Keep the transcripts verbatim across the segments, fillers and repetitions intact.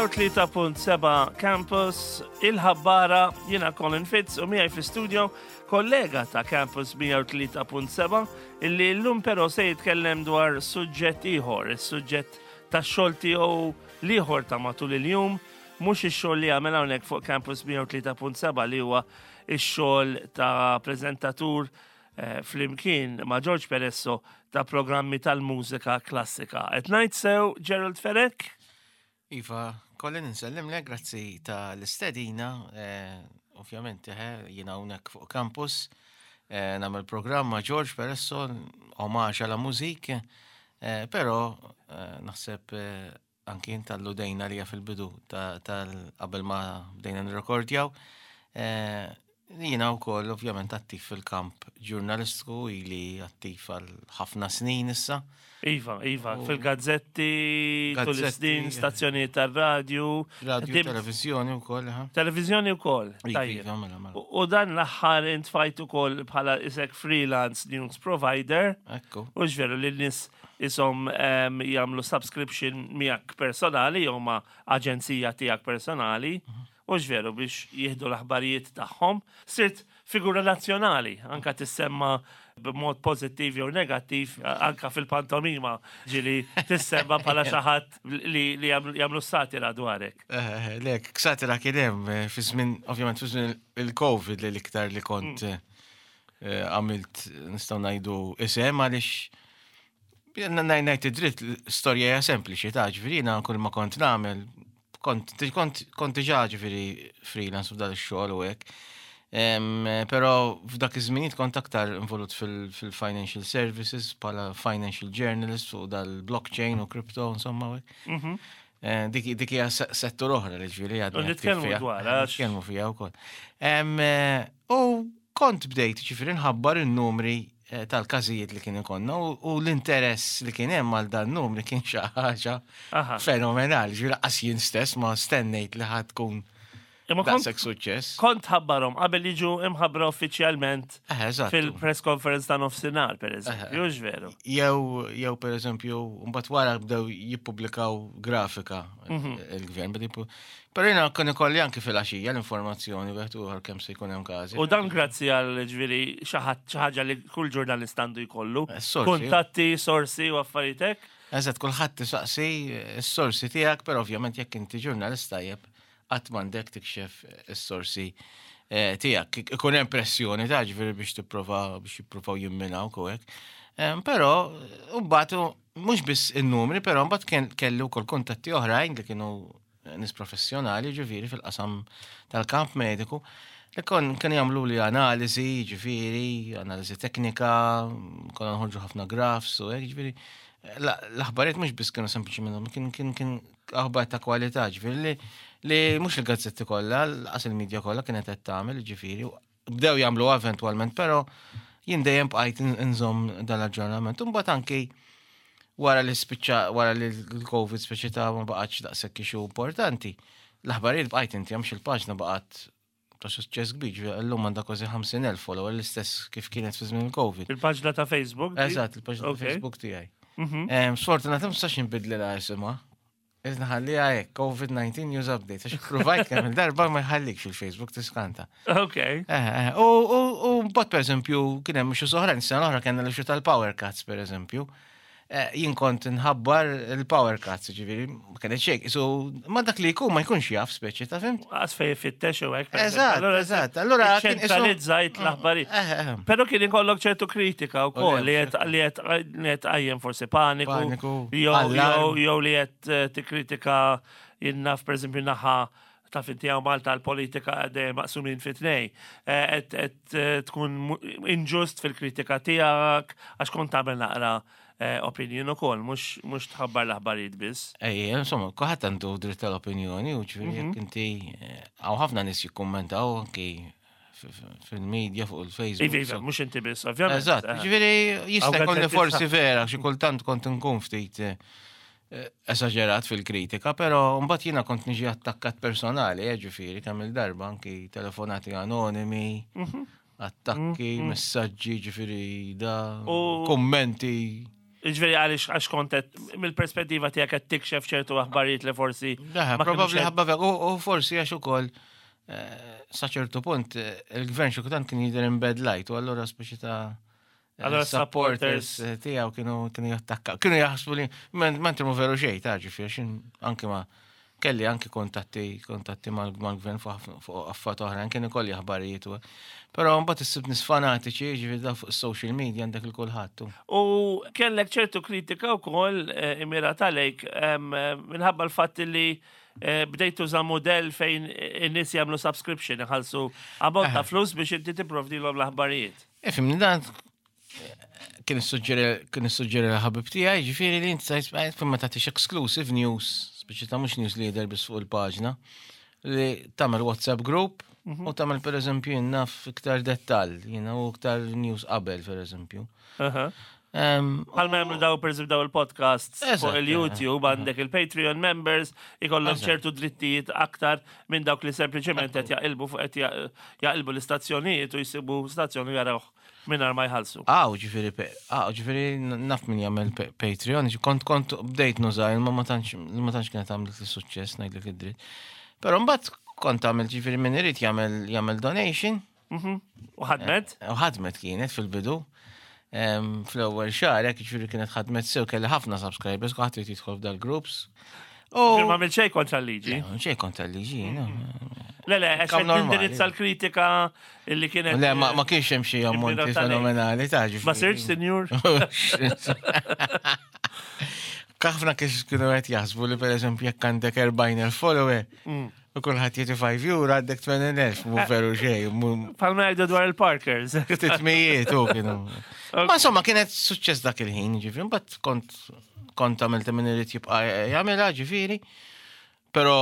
mija u tlieta punt seba' Campus, il-ħabbara, jiena Colin Fitz u miegħi fl-studio kollega ta' Campus mija u tlieta punt seba' illi llum però se jitkellem dwar suġġett ieħor, is-suġġett tax-xogħol tiegħu l-ieħor ta' matul il-jum, mhux ix-xogħol li għamel hawnhekk fuq Campus mija u tlieta punt seba' li huwa ix-xogħol ta' preżentatur eh, flimkien ma' George Peresso ta' programmi tal-mużika klassika. Qed ngħid sew, Gerald Fenech? Iva, Colin, insellimlek, grazzi tal-istedina, eh, ovvjament, eh, jiena hawnhekk fuq Campus, eh, nagħmel programm ma' George Peresso, Hommage à la Musique, eh, però eh, naħseb eh, anki inta alludejna li fil-bidu tal qabel ma bdejna nirrekordjaw. Eh, jiena wkoll ovvjament attiv fil-kamp ġurnalistiku, ili attiv għal ħafna snin issa. Iva, Iva, fil-gazzetti, tul Gazzetti, is-snin, stazzjonijiet tar-radju. Radio, Dim- televizjoni wkoll, ha? Televizjoni wkoll. Iva, Tajjeb. Iva, mela, mela. U u dan l-aħħar intfajt ukoll bħala isek freelance news provider. Ekku. U veru li n-nies isom em, jagħmlu subscription miegħek personali jew ma' aġenzija tiegħek personali. U veru biex jieħdu l-aħbarijiet tagħhom. Sirt figura nazzjonali, anka tissemma b'mod pożittiv jew negattiv, anka fil-pantomima ġili tissemma bħala xi ħadd li, li jagħmlu- jagħmlu satira dwarek. Eh, Lek, satira kien hemm eh, fi żmien, ovvjament fi żmien il-Covid li l-iktar li kont eh, eh, għamilt, nistgħu ngħidu, isem, għaliex ngħid id-dritt, l-istorja hija sempliċi ta' ġifieri jiena kull ma kont nagħmel kont kont kont diġà ġifieri freelance f'dan ix-xogħol u hekk. Em, Però f'dak iż-żminijiet kont aktar involut fil- fil-financial services bħala financial journalist fuq dal-blockchain u crypto, insomma, u hekk. Mhm. Eh, Dik dik hija se- settur oħra li ġifieri għadni U nitkellmu attiv fiha. dwar, għax- Nitkellmu fiha wkoll. Em, eh, U kont bdejt ġifieri nħabbar in-numri eh, tal-każijiet li kien ikollna u u l-interess li kien hemm għal dan numri kien xi ħaġa Aha. fenomenali. Ġifieri qas jien stess ma stennejt li ħad tkun Imma kont daqshekk suċċess. kont ħabbarhom qabel jiġu imħabbra uffiċjalment Eh, Eżatt. fil-press conference ta' nofsinhar, per eżempju, hux veru? Jew jew per eżempju, mbagħad wara bdew jippubblikaw grafika Mhm. il-gvern. Bdew jippu- Però jiena kien ikolli anke fil-għaxija l-informazzjoni wieħed u ieħor kemm se jkun hemm każi. U dan grazzi għal ġifieri xi ħaġa li kull ġurnalist għandu jkollu. Eh, sorsi. Kuntatti, sorsi u affarijiet hekk. Eżatt, kulħadd tisaqsi s-sorsi tiegħek, però ovvjament jekk inti ġurnalist tajjeb qatt m'għandek tikxef is-sorsi eh, tiegħek. Ikun hemm pressjoni ta' ġifieri biex tipprova biex jippruvaw jimminaw u hekk. Em, Però mbagħad mhux biss in-numri, però mbagħad kien kelli wkoll kuntatti oħrajn li kienu nies professjonali ġifieri fil-qasam tal-kamp mediku li kon kien jagħmlu li analiżi, ġifieri, analiżi teknika, konna nħorġu ħafna graphs u hekk, ġifieri. La- L-aħbarijiet mhux biss kienu sempliċi minnhom, kien kien kien aħbar ta' kwalità, ġifieri li li mhux il-gazzetti kollha, lanqas il-medja kollha kienet qed tagħmel, ġifieri, u bdew jagħmlu eventwalment, però jien dejjem bqajt inżomm dal-aġġornament. Imbagħad anki wara li spiċċa, wara li l-Covid speċi ta' ma baqgħetx daqshekk issue importanti. L-aħbarijiet bqajt inti għamx il-paġna baqgħet ta' suċċess kbir, ġifieri llum għandha kważi ħamsin elf follower, l-istess kif kienet fi żmien il-Covid. Il-paġna ta' Facebook di? Eżatt, il-paġna ta' Ok. Facebook tiegħi. Mhm. Em, Sfortunatament ma nistax nbiddlilha isimha. Iżda ħalliha hekk, COVID nineteen News Update, għax provajt kemm il-darba ma jħallikx fil-Facebook, tiskanta. Ok. Eh, eh, U u mbagħad per eżempju kien hemm xi oħrajn, sena l-oħra kellna l tal-power cuts, per eżempju. Eh, Jien kont nħabbar il-power cuts, ġifieri, ma kienet xejn, so ma dak li jkun ma jkunx jaf speċi ta' fhimt? Għas fej fittex u hekk. Per Eżatt, eżempju. Allura, eżatt. Allura kien isu- ċentralizzajt l-aħbarijiet. Eh, eh, Però kien ikollok ċertu kritika u U koll li le, qed li qed li qed qajjem forsi paniku, Paniku, jew allarm. jew jew li qed eh, tikkritika jinnaf per eżempju naħa ta' finti hawn Malta l-politika dejjem maqsumin fi tnej. Eh, Qed qed eh, tkun mu- inġust fil-kritika tiegħek għax kont tagħmel naqra eh, opinion ukoll, mhux mhux tħabbar l-aħbarijiet biss. Ej, insomma, kulħadd għandu dritt tal-opinjoni u ġifieri jekk inti eh, hawn ħafna nies jikkummentaw anki f- f- fil-medja fuq il-Facebook. Iva, iva, so- mhux inti biss, ovvjament. Eżatt, Eh. ġifieri jista' Hawn jkun li gazzetti forsi sħaħ. vera, xi kultant kont nkun ftit eh, eh, esaġerat fil-kritika, però mbagħad jiena kont niġi attakkat personali, eh, ġifieri kemm il-darba anki telefonati anonimi, Mhm. attakki, messaġġi, ġifieri da, U- kummenti. Ġifieri għaliex għax kont qed mill-perspettiva tiegħek qed tikxef ċertu aħbarijiet li forsi. Ma probabbli ħabba u forsi għax ukoll eh, sa ċertu punt eh, il-gvern xi kultant kien jidher in bad light u allura speċi ta' eh, Allora supporters tiegħu kienu kienu jattakkaw. Kienu jaħsbu li mentri mu veru xejn ta' ġifieri anke ma kelli anke kontatti kontatti mal-gvern fuq affarijiet oħra, kien ikolli aħbarijiet. Però mbagħad issib nies fanatiċi, ġifieri da fuq social media għandek il kulħadd. U kellek ċertu kritika wkoll eh, immirata lejk minħabba l-fatt li eh, bdejt tuża modell fejn in-nies jagħmlu subscription, iħallsu ammont ta' flus biex inti tipprovdilhom l-aħbarijiet. Ifhimni, dan kien kien issuġġeri l-ħabib tiegħi, ġifieri li inti sajt ma tagħtix exclusive news, speċi ta' mhux news li jidher biss fuq il-paġna, li tagħmel WhatsApp group mhm. u tagħmel, pereżempju, naf iktar dettall, jiena, u iktar news qabel, pereżempju. Bħal ma jagħmlu daw, per daw il-podcasts fuq il-YouTube, għandek il-Patreon members, ikollhom ċertu drittijiet aktar minn dawk li sempliċement qed jaqilbu fuq qed jaqilbu l-istazzjonijiet u jsibu stazzjoni jarawh mingħajr ma jħallsu. Aw, ġifieri, aw, ġifieri naf min jagħmel Patreon, kont kont bdejt nuża, ma ma tantx ma tantx kienet għamlet il-suċċess, ngħidlek id-dritt. Però mbagħad kont għamel, ġifieri, min irid jagħmel jagħmel donation. Mhm. U ħadmet? U ħadmet kienet fil-bidu. Fl-ewwel xahar hekk, ġifieri, kienet ħadmet sew, kelli ħafna subscribers, kulħadd irid jidħol f'dal-groups. Ma għamilt xejn kontra l-liġi. Xejn kontra l-liġi, no. Le, le, għax nindirizza l-kritika illi kienet. Le, ma kienx hemm xi ammonti fenomenali ta' ġifieri. Ma sirx sinjur. Ħafna kiex kienu qed jaħsbu li, pereżempju, jekk għandek erbgħin elf follower mm. u kulħadd jagħti ħamsa euro, għandek tmenin elf, mu veru xejn. Bħalma jgħidu dwar il-Parkers. Ftit mijiet u kienu. Ma insomma kienet suċċess dak il-ħin, ġifieri, mbagħad kont kont għamilt min irid jibqa' jagħmilha, ġifieri. Però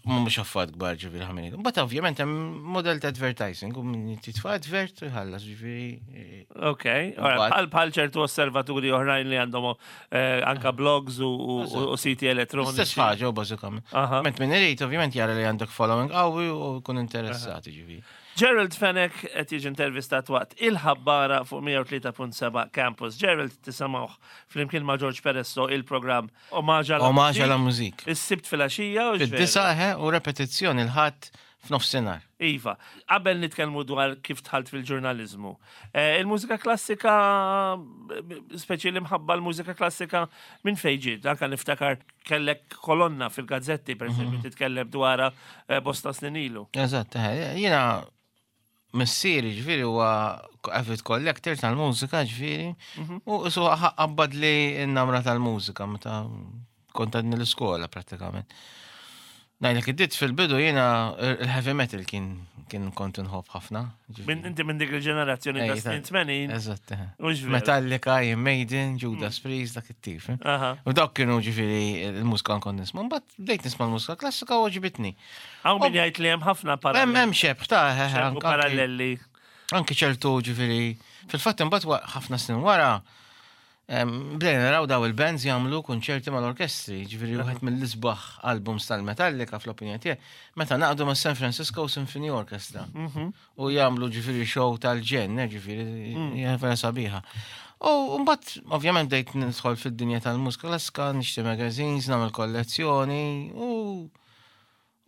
mhux affarijiet kbar, ġifieri, ħamini. Mbagħad ovvjament hemm model ta' advertising u min jitfa' advert u jħallas, ġifieri. Ok, bħal bħal ċertu osservaturi oħrajn li għandhom eh, anka blogs u u siti elettroniċi. Stess ħaġa u bażikament. Ment min irid ovvjament jara li għandek following qawwi u jkun interessati, ġifieri. Gerald Fenech qed jiġi intervistat waqt Il-Ħabbara fuq mija u tlieta punt seba' Campus. Gerald tisimgħuh flimkien ma' George Peresso il-programm Omaġa la Omaġa la Muzik. Is-Sibt filgħaxija u Fid-disgħa u repetizzjoni il-Ħadd f'nofsinhar. Iva, qabel nitkellmu dwar kif dħalt fil-ġurnalizmu. Eh, il-mużika klassika, speċi li mħabba l-mużika klassika, minn fejn ġiet? Anka niftakar kellek kolonna fil-gazzetti, per esempio, mhm. titkellem dwarha eh, bosta snin ilu. Eżatt, eh, jiena missieri, ġifieri, huwa avid collector tal-mużika, ġifieri, mhm. u su qabbad li n-namra tal-mużika meta kont għadni l-iskola prattikament. Ngħidlek id-dritt, fil-bidu jiena il-heavy metal kien kien kont nħobb ħafna. Min inti minn dik il-ġenerazzjoni ta' snin tmenin. Eżatt. Metallica, Iron Maiden, Judas mm. Priest, dak it-tip. U dawk kienu, ġifieri, il-mużika nkun nisma'. Mbagħad bdejt nisma' l-mużika klassika u għoġbitni. Hawn min jgħid li hemm ħafna paralleli. Hemm xebh ta' paralleli. Anki ċertu, ġifieri, fil-fatt imbagħad ħafna snin wara bdejna naraw daw il-bands jagħmlu konċerti mal-orkestri, ġifieri wieħed mill-isbaħ albums tal-Metallica fl-opinjoni tiegħi, meta ngħaqdu ma' San Francisco Symphony Orchestra. Mhm. U jagħmlu, ġifieri, show tal-ġenn, ġifieri, mm. hija vera sabiħa. U mbagħad ovvjament bdejt nidħol fid-dinja tal-mużika klassika, nixtri magazines, nagħmel kollezzjoni u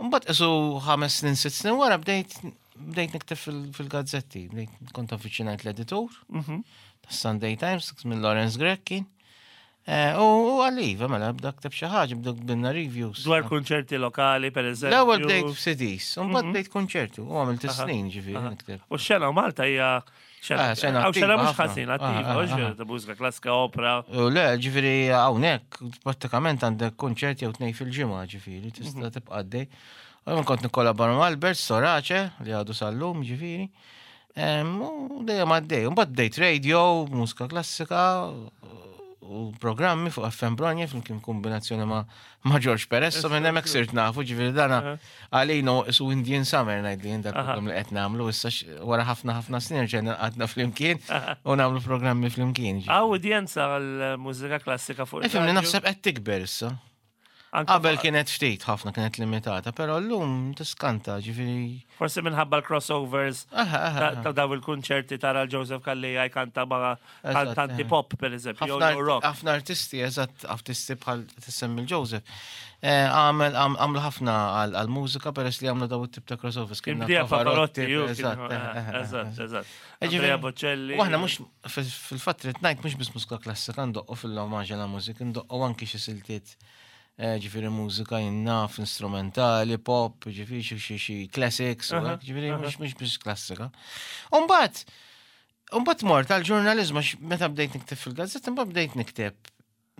mbagħad isu ħames snin, sitt snin wara bdejt bdejt nikteb fil-gazzetti, bdejt kont avviċinajt l-editur mhm. tas-Sunday Times, minn Lawrence Grech kien. Eh, u għalli, mela, bda kteb xi ħaġa, bda binna reviews. Dwar konċerti lokali, per eżempju. L-ewwel bdejt f'C Ds, u mbagħad mhm. bdejt konċerti, u għamilt snin, ġifieri, nikteb. U x-xena Malta hija xena xena mhux ħażin attiva, u ta' mużika klassika, opera. U le, ġifieri, hawnhekk prattikament għandek konċerti jew tnejn fil-ġimgħa, ġifieri, tista' mhm. tibqa' għaddej. U kont nikkollabora ma' Albert Sorace li għadu sal-lum, ġifieri. U dejjem għaddej. Mbagħad bdejt radio, mużika klassika u programmi fuq F M Bronja flimkien kombinazzjoni ma' ma' George Perez, so minn hemmhekk sirt nafu, ġifieri dana għalina isu Indian Summer, ngħid li dak program li qed nagħmlu issa wara ħafna ħafna snin ġejna qgħadna flimkien u nagħmlu programmi flimkien. Hawn udjenza għal mużika klassika fuq. Ifhimni, naħseb qed tikber issa. Anke Qabel kienet ftit ħafna, kienet limitata, però llum tiskanta, ġifieri. Forsi minħabba l-crossovers Aha, aha, ta' ta' daw il-kunċerti, tara l-Joseph Calleja jkanta ma' Eżatt, kantanti eh. pop, per eżempju, jew ħafna jew rock. ħafna artisti, eżatt, artisti bħal tissemmi l-Joseph. Eh, Għamel, għam- għamlu ħafna għal-mużika peress li għamlu daw it-tip ta' crossovers. Kien Kien bdija Pavarotti, ju, kien- eżatt, eh, eh, eh, eżatt, eżatt. Eh, Andrea ġifieri- Bocelli. U aħna mhux fil-fatt rrid ngħid, mhux biss mużika klassika ndoqqu fil-omaġġ la mużika, ndoqqu anki xi siltiet, eh, ġifieri mużika jinnaf, instrumentali, pop, ġifieri xi xi xi classics, u Aha, hekk, ġifieri aha. mhux mhux biss klassika. Umbagħad Umbagħad mort għal-ġurnalizmu għax meta bdejt nikteb fil-gazzetta, mbagħad bdejt nikteb.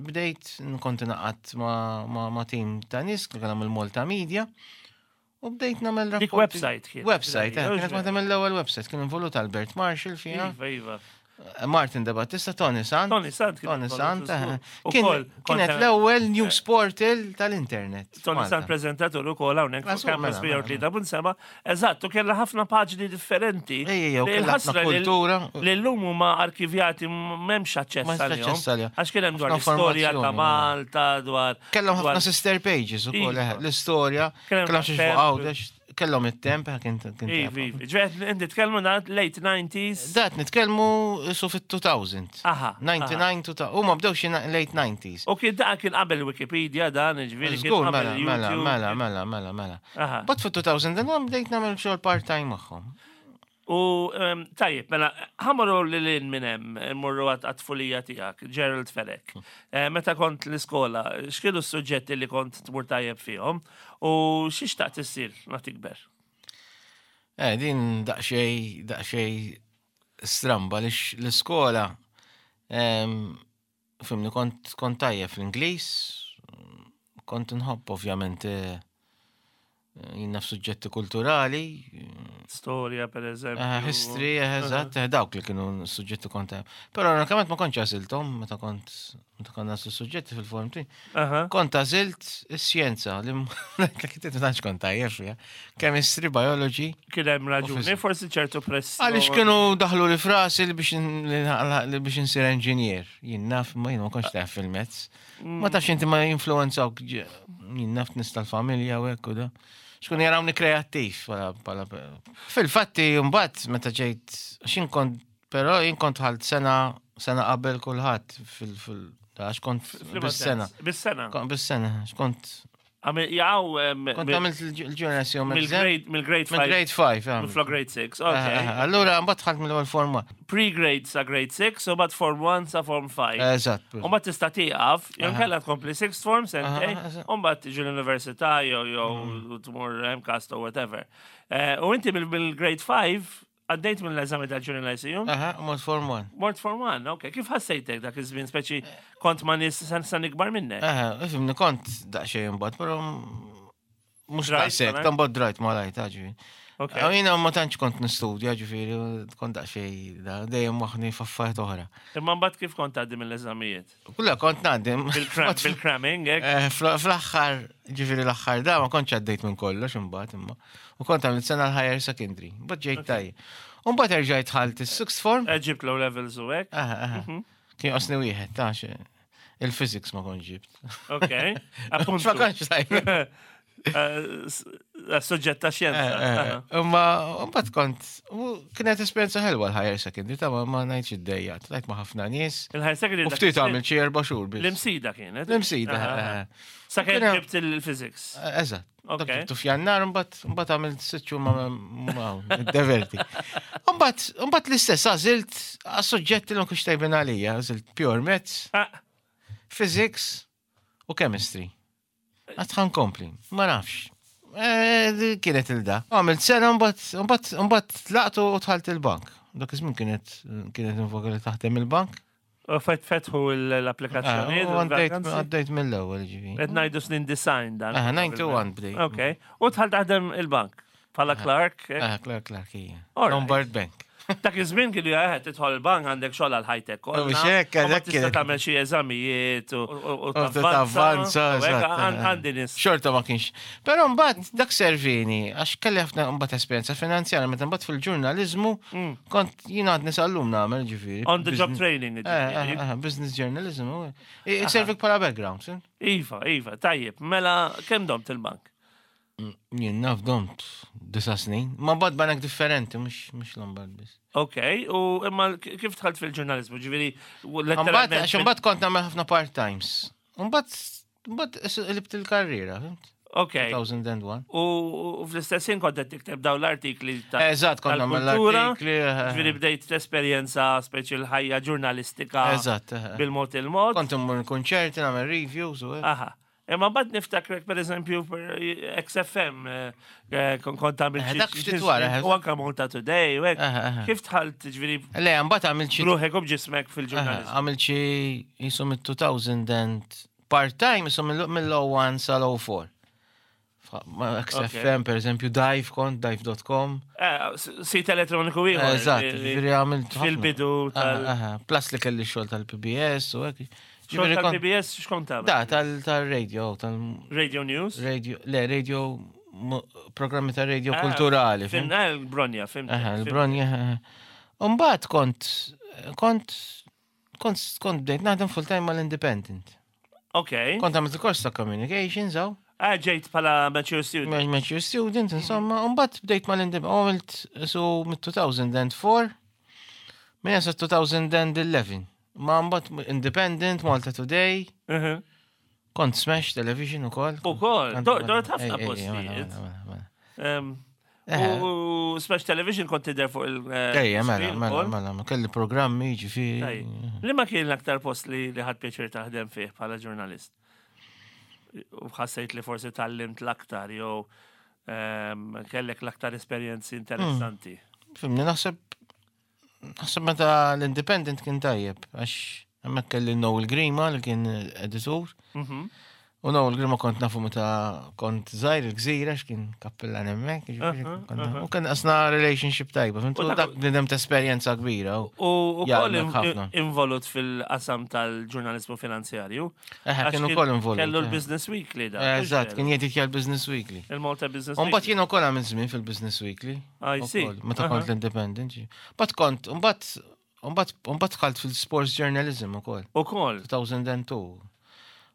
Bdejt nkont naqat ma, ma, ma team ta' nies li kellhom il-Malta Media u bdejt nagħmel Dik rapporti. Website kien. Website, eh, kienet waħda mill-ewwel website, kien involut Albert Marshall fiha. Iva, iva. Martin De Battista, Tony Sant. Tony Sant kien Tony involut Sant, żgur. eh. Ukoll, Kien, kienet kont- l-ewwel news portal tal-internet. Tony Malta. Sant prezentatur ukoll hawnhekk fuq Ah, Campus mela, mela, mija u tlieta punt seba'. Eżatt, u kellha ħafna paġni differenti. Ej, ej, u Li kellha ħafna l-ħasra li- kultura. Li llum huma arkivjati, m'hemmx aċċess Ma għalihom. aċċess għalihom. Għax kien hemm dwar Ħafna l-istorja ta' informazzjoni, Malta, dwar Kellhom dwar- ħafna sister pages ukoll, Iva. eh, l-istorja, Kien hemm kellhom xi temp. fuq Għawdex, kellhom it-temp, eh, kien kien Iva, iva. Ġifieri inti tkellmu na late nineties. Dat nitkellmu su fit-elfejn. Aha, disgħa u disgħin, elfejn. Huma bdew xi late nineties. U kien da kien qabel Wikipedia dan, ġifieri kien Żgur, qabel mela, mela, YouTube. mela, mela, mela, mela. Aha. But fit-elfejn u wieħed bdejt nagħmel xogħol part-time magħhom. U em, tajjeb, mela, ħa mmorru lil hinn minn hemm, mmorru għat-tfulija tiegħek, Gerald Fenech. Eh, Meta kont l-iskola, x'kienu s-suġġetti li kont tmur tajjeb fihom u xi xtaqt issir ma tikber? Eh, din daqxej, daqxej stramba li l-iskola, em, fimni, kont, kont tajjeb fl-Ingliż, kont nħobb ovvjament eh, jien naf suġġetti kulturali, Storja, per eżempju. eh, history, eh, eżatt, eh, dawk li kienu suġġetti kont tajjeb. Però unikament ma kontx għażilthom meta kont meta kont nagħżlu suġġetti fil-form three. Aha. Kont għażilt is-xjenza li kien ma tantx kont tajjeb fiha. Chemistry, biology. Kien hemm raġuni, physics. forsi ċertu pressjoni. Għaliex kienu daħlu li f'rasi li biex n- li li biex insir engineer. Jien naf, ma jien ma kontx taf fil-mezz. Ma tafx inti ma jinfluenzawk ġ- jien naf nies tal-familja u hekk u da. Xkun jarawni kreattiv. Bħala- bħala- Fil-fatti, mbagħad meta ġejt, xin kont, però jien kont ħalt sena sena qabel kulħadd fil- fil- għax kont F'liema bis-sena. sens? Bis-sena. Kont bis-sena, għax kont Għamil, jaw, em, kont mill- għamilt il-junior exam. mill-grade mill-grade five. Mill-grade five. Mill grade six, ok. Allura, mbagħad ħalt mill-ewwel form one. Pre-grade sa grade six, u mbagħad form one sa form five. Eżatt. U mbagħad tista' tieqaf, jew kellha tkompli sixth form sentejn, Aha, eżatt. u mbagħad tiġi l-università jew jew tmur MCAST or whatever. Eh, U inti mill- mill-grade five għaddejt mill-eżami tal-Junior Lyceum, Aha, u mort form one. Mort form one, ok. Kif ħassejtek dak iż-żmien, speċi kont ma' nies san san ikbar minnek? Aha, ifhimni, kont daqsxejn imbagħad, però mhux Drajt, daqshekk, malajt? ta' mbagħad drajt malajt, ġifieri. Ok. Jiena ma tantx kont nistudja, ġifieri, kont daqsxejn da, dejjem moħħni f'affarijiet oħra. Imma mbagħad kif kont tgħaddi mill-eżamijiet? Kulla kont ngħaddi. Bil-cram- Bil-cramming, hekk? Eh, fl- Fl-aħħar, ġifieri l-aħħar da, ma kontx għaddejt minn kollox imbagħad imma. U kont għamilt sena l-higher secondary, mbagħad ġejt tajjeb. U mbagħad erġajt dħalt is-sixth form. Eh, Ġibt low levels u hekk. Aha, aha. Kien jonqosni wieħed, ta' xe- il-physics ma kontx ġibt. Ok. Appuntu. Ma kontx tajjeb. Eh, s- eh, Suġġett ta' xjenza. Eh, eh, Aha. Imma mbagħad kont, u kienet esperjenza ħelwa l-higher secondary, ta' ma ma ngħidx iddejjaqt, ltqajt ma' ħafna nies. Il-higher secondary U dak ftit iż-żmien- għamil xi erba' xhur biss. L-Imsida kienet. L-Imsida, Aha, eh, aha. eh. Sa kien Kien hemm- ġibt il-physics. Eh, Eżatt. Dak Ok. ġibtu f'Jannar, mbagħad mbagħad għamilt sitt xhur ma ma diverti. Mbagħad mbagħad l-istess għażilt għas-suġġetti li ma kienx tajbin għalija, għażilt pure maths, Ah, physics u chemistry. Għad ħa nkompli, ma nafx. Eh, di Kienet il-da. Għamilt sena, mbagħad mbagħad mbagħad tlaqtu u dħalt il-bank. Dak iż-żmien kienet kienet invoka li taħdem il-bank. U fet fetħu l-applikazzjoni. Ah, U għaddejt għaddejt mill-ewwel ġifieri. Qed ngħidu snin disgħin dan. Ah, disgħa u disgħin bdejt. Ok. U dħalt taħdem il-bank. Bħala clerk. eh? Ah, Clerk, clerk, hija. All right. Lombard Bank. Dak iż-żmien kienu jaħed tidħol il-bank għandek xogħol għal ħajtek kollha. Mhux hekk, U ma hekk tista' kien. tagħmel xi eżamijiet u u- u Tavvanza, u hekk, eżatt. għan- Għandi nies. Xorta ma kienx. Però mbagħad dak servini għax kelli ħafna mbagħad esperjenza finanzjarja meta mbagħad fil-ġurnaliżmu kont jiena għadni sal-lum nagħmel ġifieri. Mm. On the job Business- training. Eh, ġifieri. eh, eh, business journalism. u- I- Servik bħala background. sin? Iva, iva, tajjeb. Mela, kemm domt il-bank? Jien naf domt disa snin. Ma bad banek differenti, mhux mhux Lombard biss. Ok, u imma k- kif dħalt fil-ġurnalizmu? Ġifieri, u Mbagħad letteralment. għax imbagħad kont nagħmel ħafna part-times. Mbagħad mbagħad qlibt il-karriera, fimt? Ok. two thousand and one. U u fl-istess ħin kont qed tikteb dawn l-artikli ta' Eżatt, kont nagħmel tal-kultura. l-artikli. eh, Ġifieri bdejt l-esperjenza speċi l-ħajja ġurnalistika Eżatt. eh. bil-mod il-mod. Kont immur konċerti, nagħmel reviews u hekk. Aha. Imma mbagħad niftakrek per eżempju per X F M eh, eh, kon- kont għamilt Eh, xi- dak xi ftit wara, żmien, eh. u anka Malta Today u hekk. Eh, eh. Kif dħalt ġifieri Le, mbagħad għamilt xi ruħek u b'ġismek fil-ġurnalizmu? għamilt xi jisu mid-two thousand and part-time jisu mill-oh one sal-oh four. X F M, per eżempju, Dive kont, dive dot com. Eh, s- Sit elettroniku ieħor. Eżatt, li- li- ġifieri għamilt ħafna. Fil-bidu tal- Aha, aha. Plus li kelli xogħol tal-P B S u hekk. Xogħol Ġifieri kont- tal-P B S x'kont tagħmel? Da, tal- tal-radio, Radio News? tal-radio, le, radio, mo- programmi ta' radio Ah, kulturali. Fim, Fim? eh, il-Bronja, fim. Aha, il-Bronja. Aha. Umbagħad kont, kont, kont, kont bdejt naħdem full-time mal-Independent. Ok. Kont għamilt il-kors ta' communications, għaw, Ah, ġejt bħala mature student. Mature student, insomma, umbagħad bdejt mal-Independent, għamilt so mid-two thousand and four, minn sa twenty eleven. Ma mbagħad Independent, Malta Today, Mhm. kont Smash Television ukoll. Ukoll, Kont- dor- dort ħafna Ej, ej, ej, postijiet. mela, mela, mela. Em, Eh. U Smash Television kont tidher fuq il- eh, Ejja, mela, screen mela, ukoll. mela, ma kelli programmi, ġifieri. Tajjeb. Li ma kien l-aktar post li li ħadt pjaċir taħdem fih bħala ġurnalist? U ħassejt li forsi tgħallimt l-aktar jew em, kellek l-aktar esperjenzi interessanti. Fimni, naħseb, naħseb meta l-Independent kien tajjeb, għax hemmhekk kelli Noel Grima li kien editur. Mhm. U Noel Grima kont nafu meta kont żgħir il-Gżira, x'kien kappillan hemmhekk, ġifieri, Aha, kont aha. nafu. U kien qasna relationship tajba, fimt? U U dak- dak bnidem ta' esperjenza kbira. u- U u Jgħallmek koll in- ħafna. involut fil-qasam tal-ġurnalizmu finanzjarju. Eħe, Għax kien ukoll involut. Kellu eh. l-Business Weekly da. Eh, Eżatt, kien jeditja l-Business Weekly. Il-Malta Business Umbagħad Weekly. jien ukoll għamilt żmien fil-Business Weekly. I see. Ukoll, meta Aha. kont l-Independent. Mbagħad kont, mbagħad mbagħad mbagħad dħalt fil-sports journalism ukoll. U koll. two thousand and two.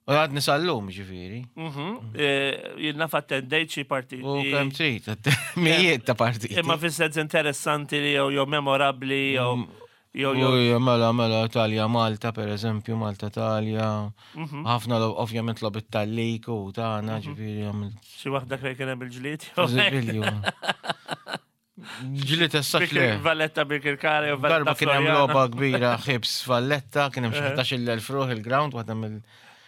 U għadni sal-lum ġifieri. Mhm. Eh, Jien naf attendejt xi partiti. U kemm trid, mijiet ta' partiti. Imma fis-sens interessanti li jew jew memorabbli jew jew jew Uj, mela, mela, Italja, Malta, per eżempju, Malta, Italja. Mhm. Ħafna, lo- ovvjament, logħbiet tal-lig u tagħna, ġifieri, għamilt. Xi waħda fejn kien hemm il-ġlied. Eżibilju. Ġlied essax le. Valletta Birkirkara jew Valletta Darba kien hemm Floriana. logħba kbira Hibs Valletta, kien hemm xi ħdax-il elf ruħ il-ground waħda mill.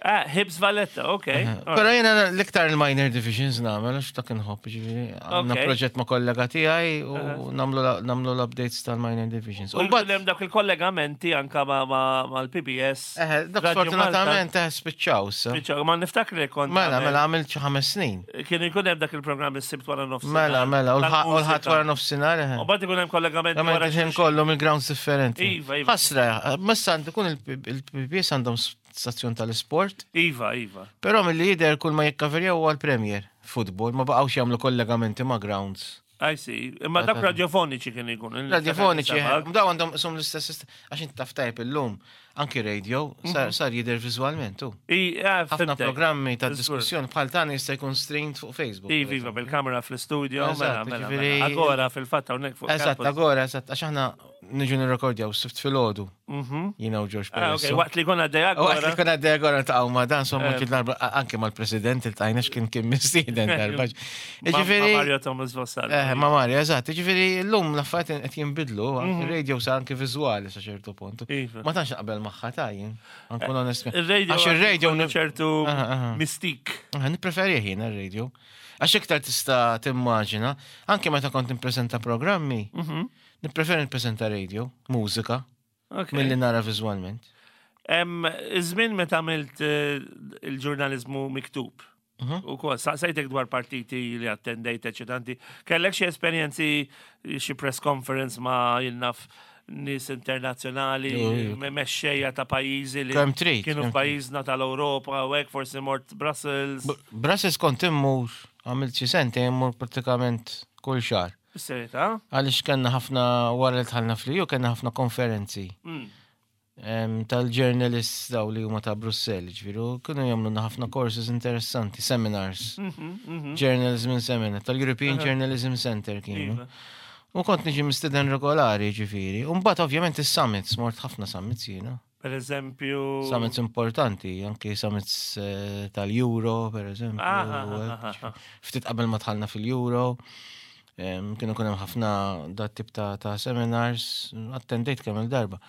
Ah, Hibs Valletta, ok. Però jiena l-iktar il-minor divisions nagħmel għax dak inħobb, ġifieri. Għandna Ok. proġett ma' kollega tiegħi u nagħmlu nagħmlu l-updates tal-minor divisions. U U mbagħad hemm dak il-kollegamenti anka ma- ma- mal-P B S. eh, dak Radio sfortunatament eh, spiċċaw issa. Malta. Ma niftakar li kont Mela, għamel- mela għamilt xi ħames snin. Kien ikun hemm dak il-programm is-Sibt wara nofsinhar. Mela, mela, u l-ħadd u l-Ħadd tal-mużika. wara nofsinhar. eh. U mbagħad ikun hemm kollegamenti Għamilt wara il-ħin xulxin. kollu mill-grounds differenti. Iva, iva. Ħasra, messa għandu kun il-P B S għandhom stazzjon tal-sport, Iva, iva. però mill-li jidher kull ma jikkaverjaw huwa l-Premier Football, ma baqgħux jagħmlu kollegamenti ma' grounds. I see. Imma dak radiofoniċi kien ikun. Radiofoniċi, eh, daw għandhom sum l-istess, sistem- għax inti taf tajb illum, anki radio, sar sar jidher viżwalment tu. I, ah, Ħafna fhimtek. programmi ta' Żgur. diskussjoni bħal tagħna jista' jkun streamed fuq Facebook. Iva, iva, bil-kamera fl-studio, mela, Eżatt, mela, ġifieri- mela. Agora fil-fatt hawnhekk fuq Eżatt, campus. Agora, eżatt, għax aħna niġu nirrekordjaw s-Sibt filgħodu, Mhm. jiena u George Ah, ok, Peresso. waqt li konna għaddej U għat li Agora. kuna għaddej Agora ta' ma dan, insomma, Eh. kien darba, anke mal-president il-tajna x'kien kien mistieden darba. Ma- ma' Ġifieri, Mario Thomas Vossal. eh, ma' Mario, eżatt, ġifieri, l-lum l-affarijiet qed jinbidlu, il-radio sar anke viżwali sa ċertu punt. Mhm. Iva. Ma tantx naqbel magħha ta' jien, nkun onest. Il-radio. Għax il-radio għandu ċertu Aha, aha. mistik. Ah, nippreferi jien ir-radio. Għax iktar tista' timmaġina, anke meta kont nippreżenta programmi, Mhm. nippreferi nippreżenta radio, mużika, Ok. milli nara viżwalment. Em, Iż-żmien meta għamilt eh, il-ġurnalizmu miktub. Mhm. U kol, saqsejtek dwar partiti li attendejt, eċitanti. Kellek xi esperjenzi, xi press conference ma' jien naf nies internazzjonali, Jo, jo. me- mexxejja ta' pajjiżi li Kemm trid, kienu kemm f'pajjiżna tal-Ewropa u hekk forsi mort Brussels. B- Brussels kont immur, għamilt xi sentejn immur pratikament kull xahar. Bis-serjetà? Għaliex kellna ħafna wara li dħalna fl-E U, kellna ħafna konferenzi Mm. em, tal-journalists daw li huma ta' Brussell, ġifieri, kienu jagħmlu ħafna courses interessanti, seminars. Mhm, mhm. Journalism Seminar, tal-European Journalism Center kienu. Iva. U kont niġi mistiden regolari, ġifieri. U mbagħad ovvjament is-summits, mort ħafna summits jiena. Per eżempju. Summits importanti, anki summits eh, tal-Euro, per eżempju. Ah, ah, u ah, hekk, ah, ah. Ftit qabel ma dħalna fil-Euro. em, Kienu kunem ħafna dat tip ta', ta' seminars, attendejt kemm il-darba.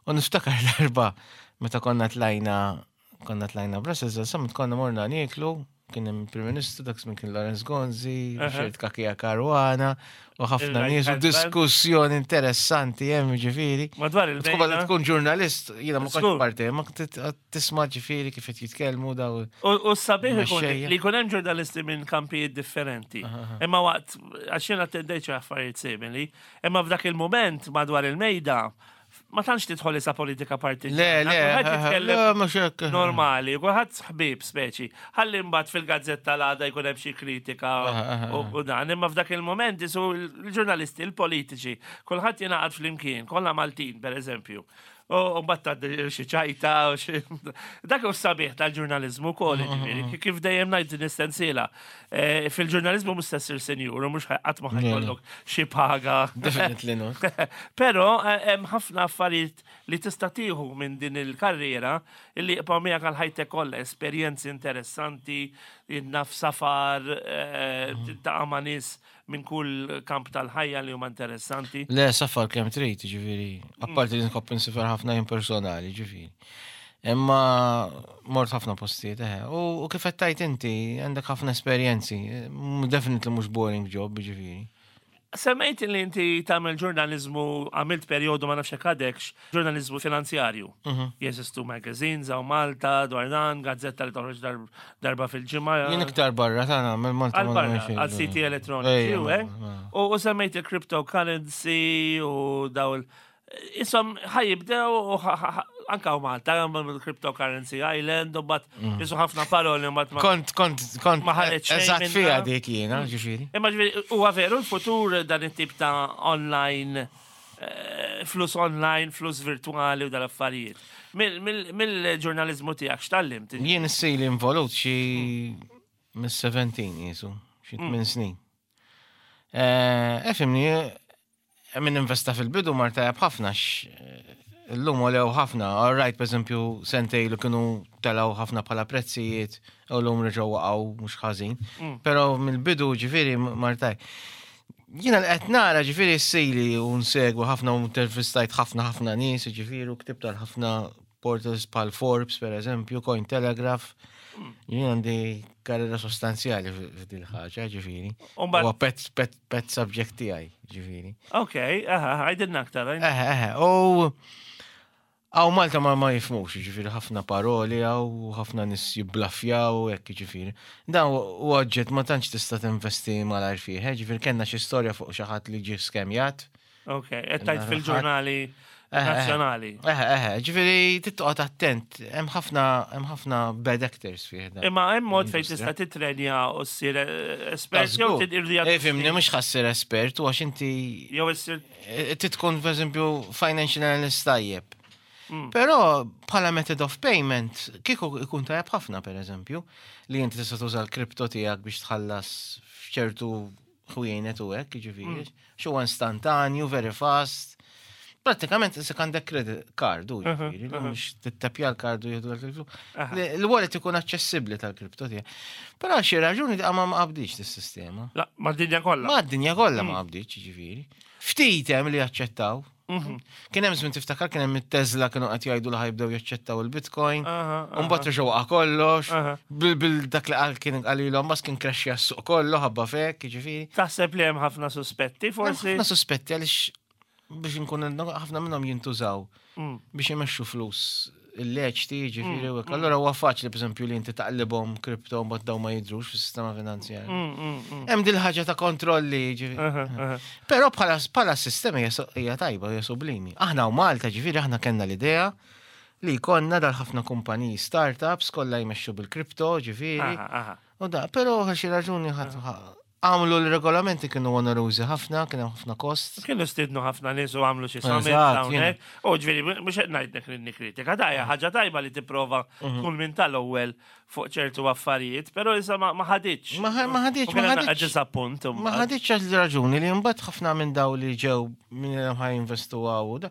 U niftakar darba meta konna tlajna konna tlajna Brussels, summit konna morna nieklu, kien hemm Prim Ministru, dak żmien kien Lawrence Gonzi, Aha. Richard Cachia Caruana, u ħafna Il-right nies u hand man. diskussjoni interessanti hemm ġifieri. Madwar Tkun il-bejna. tkun ġurnalist, jiena ma kontx Żgur. parti, ma kont tisma' ġifieri kif qed jitkellmu daw. U u sabiħ ikun Mexxejja. li jkun hemm ġurnalisti minn kampijiet differenti. Imma waqt, għax jien attendejt xi affarijiet simili, imma f'dak il-moment madwar il-mejda, ma tantx tidħol isa politika partiġjana. Le, le, Kulħadd jitkellem le, mhux hekk. normali, kulħadd ħbib speċi. Ħalli mbagħad fil-gazzetta l-għada jkun hemm xi kritika Aha, aha, u u dan, imma f'dak il-moment isu l-ġurnalisti, il-politiċi, kulħadd jingħaqad flimkien, kollha Maltin per eżempju. U mbagħad tgħaddi xi ċajta u xi dak hu sabiħ tal-ġurnaliżmu wkoll, ġifieri, kif dejjem ngħid din is-sensiela. Eh, Fil-ġurnaliżmu mhux se ssir senjur u mhux qatt ma Le, le. ħajkollok xi paga. Definitely not. Però eh, hemm ħafna affarijiet li tista' tieħu minn din il-karriera illi jibqgħu miegħek għal ħajtek kollha, esperjenzi interessanti, naf safar, eh, tiltaqa' ma' nies minn kull kamp tal-ħajja li huma interessanti. Le, safar kemm trid, ġifieri. Apparti li nkopp insifar ħafna jien personali, ġifieri. Imma mort ħafna postijiet, eħe. U, u kif qed tajt inti, għandek ħafna esperjenzi. Mm, Definitely mhux boring job, ġifieri. Semmejt li inti tagħmel ġurnaliżmu, għamilt perjodu ma nafx hekk għadekx, ġurnaliżmu finanzjarju. Jeżistu magazines hawn Malta, dwar dan, gazzetta li toħroġ dar- darba fil-ġimgħa. Jien iktar barra ta' nagħmel Malta ma Għal barra, nagħmel xejn. għal siti elettroniċi, Ejja, u ma- eh? ma- U u semmejt il-cryptocurrency u daw il- Isom ħajibdew u ħa- ħa- ħa- anka u Malta, il-cryptocurrency island, u bat jisu ħafna paroli, u bat ma. Kont, kont, kont, Ma ħareġ xejn eżatt minnha. fija dik jiena, ġifieri. Imma ġifieri, huwa veru l-futur dan it-tip ta' online, eh, flus online, flus virtuali u dal-affarijiet. Mill- mill- Mill-ġurnalizmu tiegħek x'tallimt? Jien issili involut xi mis-sebtax jisu, xi tmien snin. Eh, Efimni, min investa fil-bidu mar tajab ħafna x l-lum għolew ħafna. All right, per eżempju, sentejn ilu kienu telaw ħafna bħala prezzijiet, u l-lum reġgħu waqgħu mhux ħażin. Però mill-bidu ġifieri mar tajjeb. Jiena l-qed nara ġifieri s-sili u nsegwu ħafna u intervistajt ħafna ħafna nies, ġifieri u ktibt għal ħafna portals bħal Forbes, per eżempju, Cointelegraph. Jien għandi karriera sostanzjali f'dil ħaġa, ġifieri. U mbagħad- Huwa pet, pet, pet subject tiegħi, ġifieri. Ok, aha, għajdilna aktar. għajdilna. Eħe, eħe, u hawn Malta ma ma jifhmux, ġifieri ħafna paroli hawn, ħafna nies jibblafjaw, hekk ġifieri. Dan u oġġett ma tantx tista' tinvesti malajr fih, eh, ġifieri kellna xi storja fuq xi ħadd li ġie skemjat. Ok, qed tajt fil-ġurnali Eħe, eħe. nazzjonali. Eħe, eħe, ġifieri tittoqgħod attent, hemm ħafna hemm ħafna bad actors fih dan. Imma hemm mod fejn Industrija. tista' titrenja u ssir eh, espert jew Żgur. tidqirdi Eh, Fimni, mhux ħa ssir espert, u għax inti jew issir eh, titkun, per eżempju, financial analyst tajjeb. Però bħala method of payment, kieku ikun tajjeb ħafna, per eżempju, li inti tista' tuża l-kripto tiegħek biex tħallas f'ċertu ħwienet u hekk, jiġifieri, xi huwa istantanju, very fast. Pratikament issa għandek credit card, u jiġifieri, li mhux tittapja l-card u jieħdu l-flus. Il-wallet ikun aċċessibbli tal-kripto tiegħek. Però xi raġuni ma ma qabdix dis-sistema. La, ma d-dinja kollha. Ma d-dinja kollha ma qabdix, ġifieri. Ftit hemm li jaċċettaw. Kien hemm żmien tiftakar kien hemm it-Tesla kienu qed jgħidu li ħajbdew jaċċettaw il-Bitcoin. Aha, U mbagħad reġgħu waqa' kollox. Aha. Bil bil dak li qal kien qal Elon Musk kien crashja s-suq kollu ħabba fek, ġifieri. Taħseb li hemm ħafna suspetti, forsi. Ħafna suspetti għaliex biex nkun ħafna minnhom jintużaw Mm. biex imexxu flus illeċti, ġifieri, u hekk. Allura huwa faċli, pereżempju, li inti taqlibhom kripto mbagħad daw ma jidhrux fis-sistema finanzjarja. Mm, mm, mm. Hemm dil ħaġa ta' kontrolli, ġifieri. Aha, aha. Però bħala bħala sistema hija so- hija tajba, hija sublimi. Aħna u Malta, ġifieri, aħna kellna l-idea li jkollna dal-ħafna kumpaniji startups kollha jmexxu bil-kripto, ġifieri. Aha, aha. U da, però għal xi raġuni ħadd għamlu l-regolamenti kienu onerużi ħafna, kien hemm ħafna kost. Kienu stidnu ħafna nies u għamlu xi summit Eżatt, hawnhekk. U ġifieri mhux qed ngħidlek li nikkritika, da hija ħaġa tajba li tipprova Mhm. tkun minn tal-ewwel fuq ċertu affarijiet, però issa ma ma ħaditx. Ma ħa- ma ħaditx, U ma kien hemm ħaditx. Disappunt. Ma ħaditx għal raġuni li mbagħad ħafna minn daw li ġew minn ħa jinvestu hawn u da.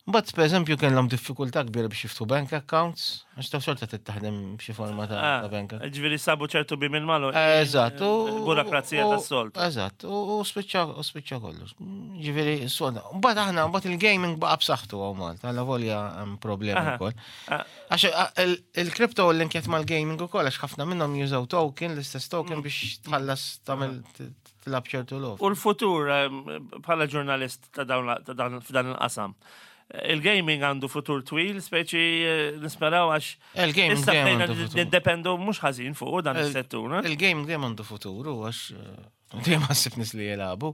Mbagħad pereżempju kellhom diffikultà kbira biex jiftħu bank accounts, għax taf xorta trid taħdem b'xi forma ta' ta' bank account. Ġifieri sabu ċertu bi minn malu. Eżatt. u- Burokrazija u- tas-soltu. Eżatt, u u spiċċa u spiċċa kollox. Ġifieri, soda. Mbagħad aħna mbagħad il-gaming baqa' b'saħħtu hawn Malta, alla volja hemm problemi Aha. wkoll. Ah. Għax a- il- il-kripto linkjet mal-gaming ukoll għax ħafna minnhom jużaw token, l-istess token biex tħallas tagħmel t- tilgħab ċertu logħob. U l-futur em, bħala ġurnalist ta' dawn ta' dan f'dan il-qasam. Il-gaming għandu futur twil, speċi eh, nisperaw għax Il-gaming issa dejjem bdejna għandu futur. nindependu mhux ħażin fuq dan Il- is-settur. eh? Il-game dejjem għandu futur u għax eh, dejjem ħassib nies li jilagħbu.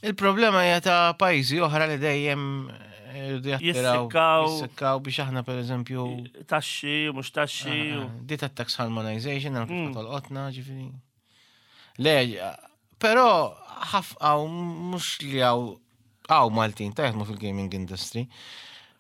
Il-problema hija ta' pajjiżi oħra li dejjem eh, jridu jattiraw, Jissikkaw. jissikkaw biex aħna pereżempju Taxxi, mhux taxxi. u- Di ta' tax harmonization, għal Mm. kif tolqotna, ġifieri. Le, però ħaf għaw mhux li għaw għaw Maltin ta' jaħdmu fil-gaming industry.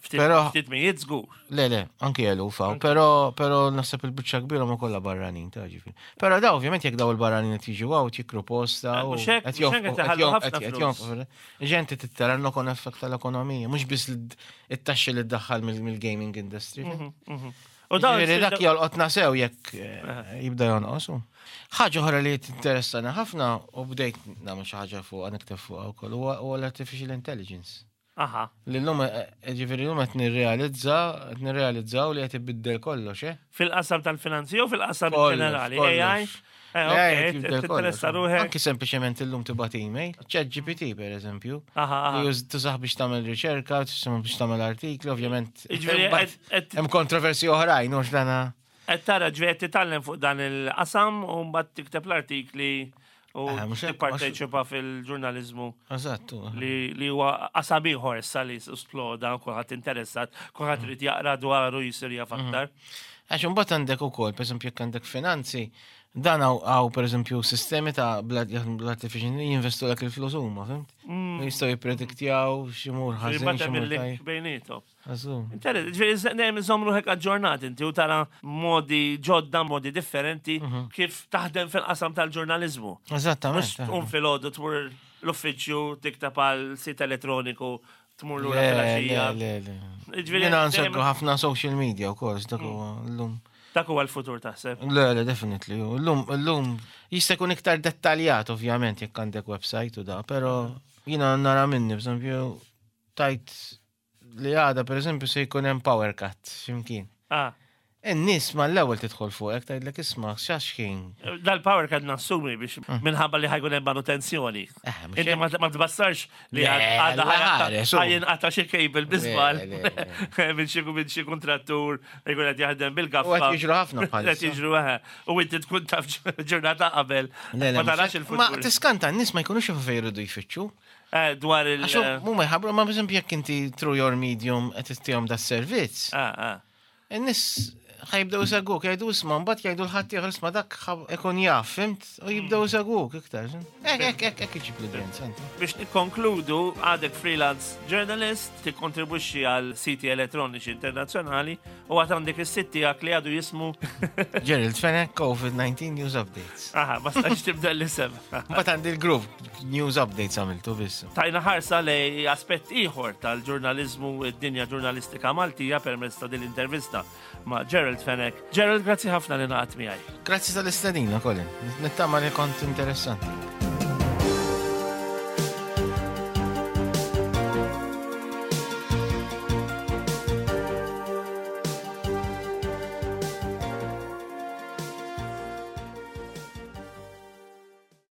Ftit Però- ftit mijiet żgur. Le, le, anki eluf għaw, però però naħseb il-biċċa kbira ma kollha barranin ta' ġifieri. Però daw ovvjament jekk daw il-barranin qed jiġu għaw jikru posta Eh, u mhux hekk- qed mhux hekk jonfqu- qed iħallu qed jon- ħafna qed- qed flus. jonfqu. Ġenti tittara knock-on effect tal-ekonomija, mhux biss it-taxxi li ddaħħal mill-gaming industry. Mhm. U dawn Ġifieri dak jolqotna sew jekk eh, jibda jonqos. u. Ħaġa oħra li tinteressana ħafna u bdejt nagħmel xi ħaġa fuq nikteb fuqha wkoll huwa huwa l-artificial intelligence. Aha. Li llum eh, ġifieri llum qed nirrealizza, qed nirrealizzaw li qed ibiddel kollox, eh? Fil-qasam tal-finanzi u fil-qasam Kollox, ġenerali. kollox. A I. Eh, Eh, ok, qed jibdel tinteressa kollox. ruħek. Anki sempliċement illum tibgħat email, Chat G P T per eżempju. Aha, aha. Li już tużah biex tagħmel riċerka, tużah biex tagħmel artikli, ovvjament. Ġifieri, Mbagħad qed- qed- hemm kontroversi oħrajn, hux dana. Qed tara ġifieri qed titgħallem fuq dan il-qasam u mbagħad tikteb l-artikli u Eh, mhux hekk, tipparteċipa fil-ġurnaliżmu Eżatt. li li huwa qasam ieħor issa li sploda, kulħadd interessat, kulħadd irid jaqra dwaru jisir jaf aktar. Għax imbagħad għandek ukoll, pereżempju jekk għandek finanzi, dan hawn hawn pereżempju sistemi ta' bl-artificial jinvestu dak il-flus huma, fhimt? Jistgħu jipprediktjaw x'imur ħażin, Mbagħad hemm x'imur il-link tajjeb. bejniethom. Għażu. Interess, ġifieri dejjem iżomm ruħek aġġornat inti u tara modi ġodda, modi differenti kif taħdem fil-qasam tal-ġurnaliżmu. Mhux Eżattament. tqum filgħodu tmur l-uffiċċju tikteb għal sit elettroniku tmur lura Le, filgħaxija. le, le, le. Ġifieri, Jiena dejjem- nsegwu ħafna social media wkoll, dak huwa llum. Dak huwa l-futur taħseb. Le, le, definitely. Llum, llum jista' jkun iktar dettaljat ovvjament jekk għandek website u da, però jiena nara minni, b'eżempju, tajt li għada per eżempju se jkun hemm power cut x'imkien. Ah, In-nies mal-ewwel tidħol fuqek tgħidlek isma' x'għax kien. Dal-power cut nassumi biex minħabba li ħa jkun hemm manutenzjoni. Eh, mhux Inti ma ma tbassarx li Le, għada ħares, u. ħa jinqata' xi cable bi żball Le, le, minn xi minn xi kontrattur jkun qed jaħdem U bil-gaffa. qed jiġru ħafna bħalissa. Qed jiġru eħe. U inti tkun taf ġurnata qabel. Le, le, Ma tarax mhux- Ma il-futur. tiskanta n-nies ma jkunux jafu fejn jridu jfittxu. Eh, Dwar il- Għax huma jħabbru, ma b'eżempju jekk inti through your medium qed ittihom da servizz. Ah, ah. In-nies ħa jibdew isegwuk, jgħidu isma' mbagħad jgħidu l-ħadd ieħor isma' dak ħa- ikun jaf, fhimt? U jibdew isegwuk iktar. Hekk hekk hekk hekk iġib l-udjenza inti. Biex nikkonkludu, għadek freelance journalist, tikkontribwixxi għal siti elettroniċi internazzjonali u għad għandek is-sit tiegħek li għadu jismu Gerald Fenech, COVID nineteen News Updates. Aha, ma stax tibda l-isem. Mbagħad għandi l-grupp News Updates għamiltu biss. Tajna ħarsa li aspett ieħor tal-ġurnalizmu, id-dinja ġurnalistika Maltija permezz ta' din l-intervista ma' Gerald Fenech. Gerald, grazzi ħafna li ngħaqadt miegħi. Grazzi tal-istedina, Colin. Nittama li kont interessanti.